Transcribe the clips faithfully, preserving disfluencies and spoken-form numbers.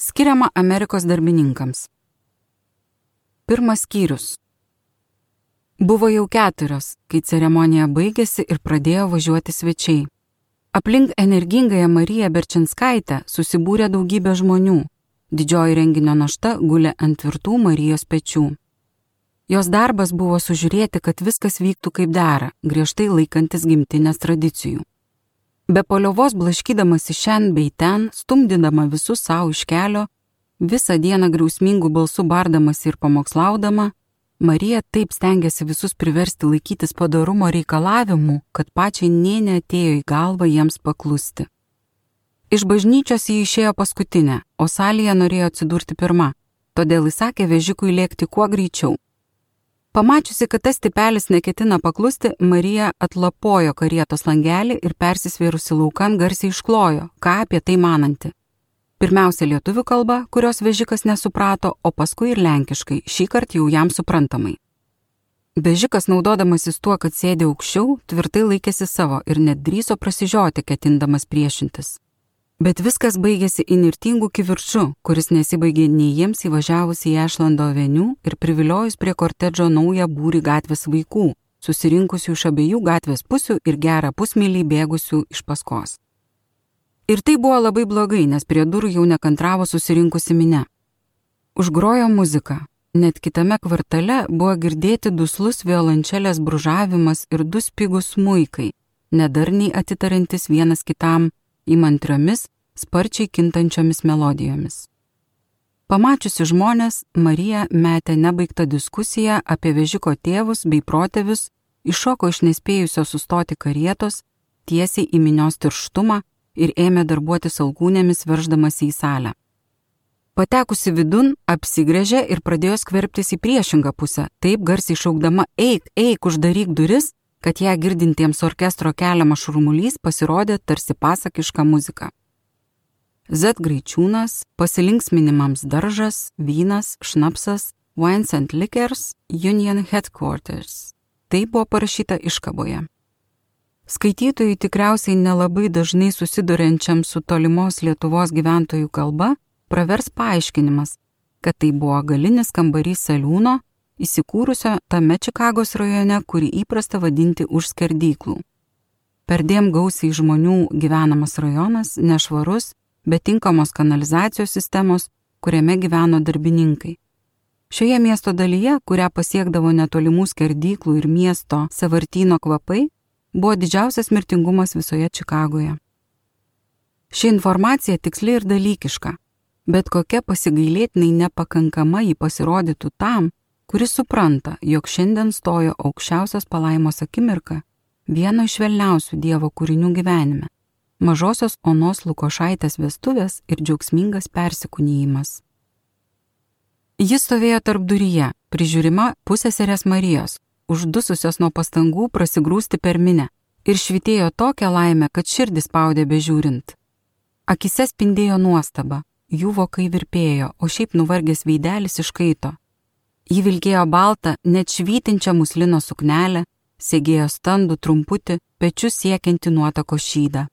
Skiriama Amerikos darbininkams. Pirmas skyrius. Buvo jau keturios, kai ceremonija baigėsi ir pradėjo važiuoti svečiai. Aplink energingąją Mariją Berčinskaitę susibūrė daugybė žmonių. Didžioji renginio našta gulė ant tvirtų Marijos pečių. Jos darbas buvo sužiūrėti, kad viskas vyktų kaip dera, griežtai laikantis gimtinės tradicijų. Be paliovos blaškydamasi šen bei ten, stumdydama visus savo iš kelio, visą dieną griausmingų balsų bardamasi ir pamokslaudama, Marija taip stengiasi visus priversti laikytis padorumo reikalavimų, kad pačiai nė neatėjo į galvą jiems paklusti. Iš bažnyčios jį išėjo paskutinę, o salėje norėjo atsidurti pirma, todėl įsakė vežikui lėkti kuo greičiau. Pamačiusi, kad tas tipelis neketina paklusti, Marija atlapojo karietos langelį ir persisvėrusi laukan garsiai išklojo, ką apie tai mananti. Pirmiausia lietuvių kalba, kurios vežikas nesuprato, o paskui ir lenkiškai, šįkart jau jam suprantamai. Vežikas, naudodamasis tuo, kad sėdė aukščiau, tvirtai laikėsi savo ir net drįso prasižioti, ketindamas priešintis. Bet viskas baigėsi įnirtingų kivirču, kuris nesibaigė nei jiems įvažiavus į Ešlando avenių ir priviliojus prie kortedžo naują būrį gatvės vaikų, susirinkusių iš abiejų gatvės pusių ir gerą pusmylį bėgusių iš paskos. Ir tai buvo labai blogai, nes prie durų jau nekantravo susirinkusi minia. Užgrojo muzika. Net kitame kvartale buvo girdėti duslus violončelės bružavimas ir du spigūs smuikai, nedarniai atitarantis vienas kitam įmantriomis, sparčiai kintančiomis melodijomis. Pamačiusi žmonės, Marija metė nebaigtą diskusiją apie vežiko tėvus bei protėvius, iššoko iš nespėjusio sustoti karietos, tiesiai į minios tirštumą ir ėmė darbuotis alkūnėmis verždamasi į salę. Patekusi vidun, apsigręžė ir pradėjo skverbtis į priešingą pusę, taip garsiai šaukdama eik, eik, uždaryk duris, kad ją girdintiems orkestro keliamas šurmulys pasirodė tarsi pasakiška muzika. Z Graičiūnas, pasilinksminimams daržas, vynas, šnapsas, Wines and Liquors, Union Headquarters. Tai buvo parašyta iškaboje. Skaitytojui tikriausiai nelabai dažnai susiduriančiam su tolimos Lietuvos gyventojų kalba pravers paaiškinimas, kad tai buvo galinis kambarys saliūno, įsikūrusio tame Čikagos rajone, kurį įprasta vadinti už skerdyklų. Perdėm gausiai žmonių gyvenamas rajonas, nešvarus, bet tinkamos kanalizacijos sistemos, kuriame gyveno darbininkai. Šioje miesto dalyje, kurią pasiekdavo netolimų skerdyklų ir miesto sąvartyno kvapai, buvo didžiausias mirtingumas visoje Čikagoje. Ši informacija tiksli ir dalykiška, bet kokia pasigailėtinai nepakankama jį pasirodytų tam, kuris supranta, jog šiandien stojo aukščiausios palaimos akimirka vieno iš švelniausių Dievo kūrinių gyvenime – mažosios Onos Lukošaitės vestuvės ir džiaugsmingas persikūnijimas. Jis stovėjo tarpduryje, prižiūrima pusseserės Marijos, uždususios nuo pastangų prasigrūsti per minę, ir švytėjo tokią laimę, kad širdis spaudė bežiūrint. Akise spindėjo nuostaba, jų vokai virpėjo, o šiaip nuvargęs veidelis iškaito. Ji vilkėjo baltą, net švytinčią muslino suknelę, segėjo standų trumputį, pečius siekianti nuotako šydą.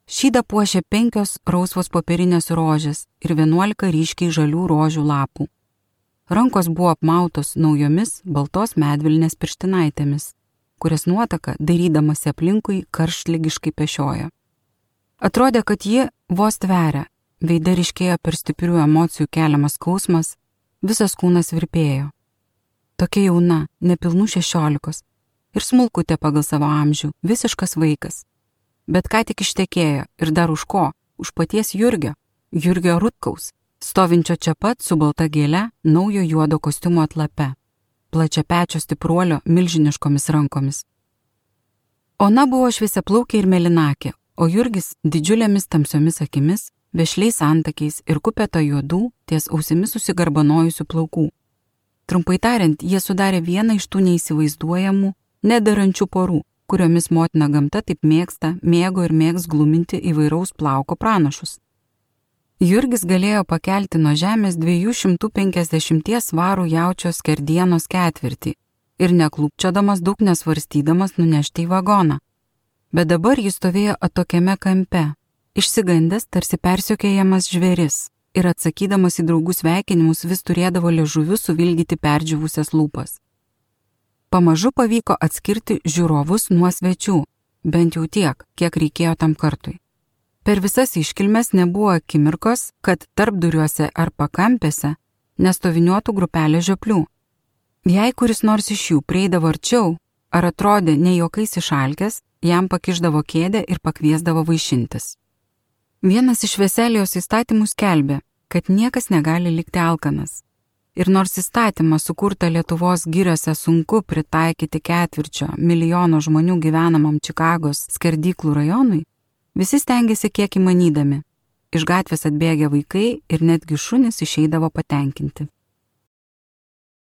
Šydą puošė penkios rausvos popierinės rožės ir vienuolika ryškiai žalių rožių lapų. Rankos buvo apmautos naujomis baltos medvilnės pirštinaitėmis, kurias nuotaka, dairydamasi aplinkui, karštligiškai pešiojo. Atrodė, kad ji vos tveria, veide ryškėjo per stiprių emocijų keliamas skausmas, visas kūnas virpėjo. Tokia jauna, nepilnų šešiolikos ir smulkutė pagal savo amžių, visiškas vaikas. Bet ką tik ištekėjo ir dar už ko? Už paties Jurgio, Jurgio Rutkaus, stovinčio čia pat su balta gėle, naujo juodo kostiumo atlape, plačiapečio stipruolio milžiniškomis rankomis. Ona buvo šviesiaplaukė ir mėlynakė, o Jurgis didžiulėmis tamsiomis akimis, vešliais antakiais ir kupeta juodų, ties ausimis susigarbanojusių plaukų. Trumpai tariant, jie sudarė vieną iš tų neįsivaizduojamų, nedarančių porų, kuriomis motina gamta taip mėgsta, mėgo ir mėgs gluminti įvairaus plauko pranašus. Jurgis galėjo pakelti nuo žemės dviejų šimtų penkiasdešimties svarų jaučio skerdienos ketvirtį ir neklūpčiodamas daug nesvarstydamas nunešti į vagoną. Bet dabar jis stovėjo atokiame kampe, išsigandęs tarsi persiokėjamas žvėris, ir atsakydamas į draugų sveikinimus vis turėdavo liežuviu suvilgyti perdžiūvusias lūpas. Pamažu pavyko atskirti žiūrovus nuo svečių, bent jau tiek, kiek reikėjo tam kartui. Per visas iškilmes nebuvo akimirkos, kad tarpduriuose ar pakampėse nestoviniuotų grupelė žioplių. Jei kuris nors iš jų prieidavo arčiau, ar atrodė ne juokais išalkęs, jam pakišdavo kėdę ir pakviesdavo vaišintis. Vienas iš Veselijos įstatymų skelbė, kad niekas negali likti alkanas. Ir nors įstatymą sukurtą Lietuvos giriose sunku pritaikyti ketvirčio milijono žmonių gyvenamam Čikagos skerdyklų rajonui, visi stengiasi kiek įmanydami. Iš gatvės atbėgę vaikai ir netgi šunys išeidavo patenkinti.